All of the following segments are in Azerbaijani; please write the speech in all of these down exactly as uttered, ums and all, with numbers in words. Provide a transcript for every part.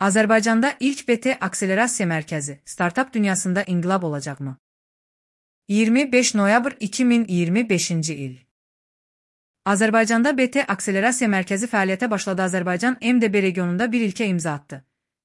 Azərbaycanda ilk B T akselerasiya mərkəzi startap dünyasında inqilab olacaqmı? iyirmi beş noyabr iki min iyirmi beşinci il. Azərbaycanda B T akselerasiya mərkəzi fəaliyyətə başladı. Azərbaycan M D B regionunda bir ilkə imza atdı.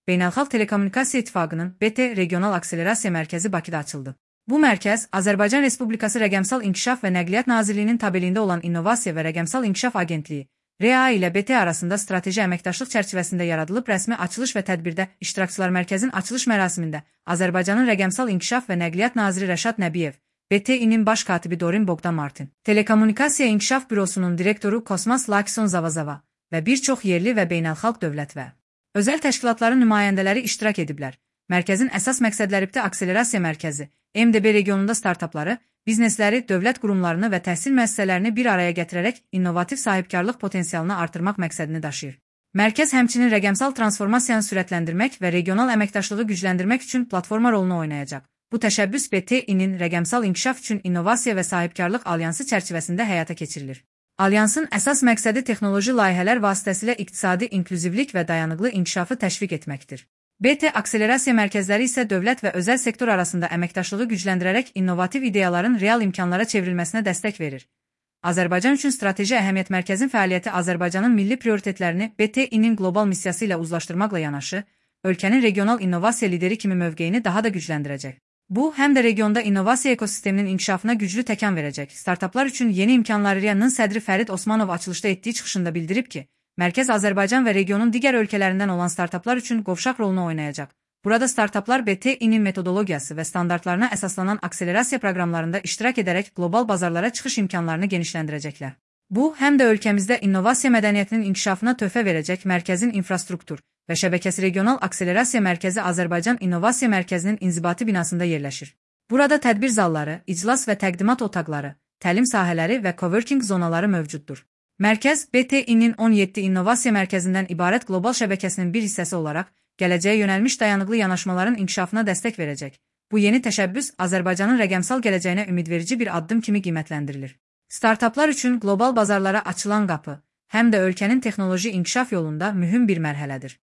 Beynəlxalq Telekommunikasiya İttifaqının B T Regional Akselerasiya Mərkəzi Bakıda açıldı. Bu mərkəz Azərbaycan Respublikası Rəqəmsal İnkişaf və Nəqliyyat Nazirliyinin tabeliyində olan İnnovasiya və Rəqəmsal İnkişaf Agentliyi R A ilə B T arasında strateji əməkdaşlıq çərçivəsində yaradılıb. Rəsmi açılış və tədbirdə iştirakçılar mərkəzin açılış mərasimində Azərbaycanın Rəqəmsal İnkişaf və Nəqliyyat Naziri Rəşad Nəbiyev, B T İ-nin baş katibi Dorin Bogdan Martin, Telekommunikasiya İnkişaf Bürosunun direktoru Kosmas Lakson Zavazava və bir çox yerli və beynəlxalq dövlət və özəl təşkilatların nümayəndələri iştirak ediblər. Mərkəzin əsas məqsədləri B T akselerasiya mərkəzi, M D B regionunda startapları, biznesləri, dövlət qurumlarını və təhsil müəssisələrini bir araya gətirərək innovativ sahibkarlıq potensialını artırmaq məqsədini daşıyır. Mərkəz həmçinin rəqəmsal transformasiyanı sürətləndirmək və regional əməkdaşlığı gücləndirmək üçün platforma rolunu oynayacaq. Bu təşəbbüs B T İ-nin rəqəmsal inkişaf üçün innovasiya və sahibkarlıq alyansı çərçivəsində həyata keçirilir. Alyansın əsas məqsədi texnoloji layihələr vasitəsilə iqtisadi inklüzivlik və dayanıqlı inkişafı təşviq etməkdir. B T akselerasiya mərkəzləri isə dövlət və özəl sektor arasında əməkdaşlığı gücləndirərək innovativ ideyaların real imkanlara çevrilməsinə dəstək verir. Azərbaycan üçün strateji əhəmiyyət mərkəzin fəaliyyəti Azərbaycanın milli prioritetlərini B T İ-nin qlobal missiyası ilə uzlaşdırmaqla yanaşı, ölkənin regional innovasiya lideri kimi mövqeyini daha da gücləndirəcək. Bu, həm də regionda innovasiya ekosisteminin inkişafına güclü təkan verəcək. Startaplar üçün yeni imkanlar R I A-nın sədri Fərid Osmanov açılışda etdiyi çıxışında bildirib ki, mərkəz Azərbaycan və regionun digər ölkələrindən olan startaplar üçün qovşaq rolunu oynayacaq. Burada startaplar B T İ-nin metodologiyası və standartlarına əsaslanan akselerasiya proqramlarında iştirak edərək qlobal bazarlara çıxış imkanlarını genişləndirəcəklər. Bu, həm də ölkəmizdə innovasiya mədəniyyətinin inkişafına töhfə verəcək. Mərkəzin infrastruktur və şəbəkəsi regional akselerasiya mərkəzi Azərbaycan İnnovasiya Mərkəzinin inzibati binasında yerləşir. Burada tədbir zalları, iclas və təqdimat otaqları, təlim sahələri və coworking zonaları mövcuddur. Mərkəz, B T İ-nin on yeddi innovasiya mərkəzindən ibarət qlobal şəbəkəsinin bir hissəsi olaraq, gələcəyə yönəlmiş dayanıqlı yanaşmaların inkişafına dəstək verəcək. Bu yeni təşəbbüs Azərbaycanın rəqəmsal gələcəyinə ümidverici bir addım kimi qiymətləndirilir. Startaplar üçün qlobal bazarlara açılan qapı, həm də ölkənin texnoloji inkişaf yolunda mühüm bir mərhələdir.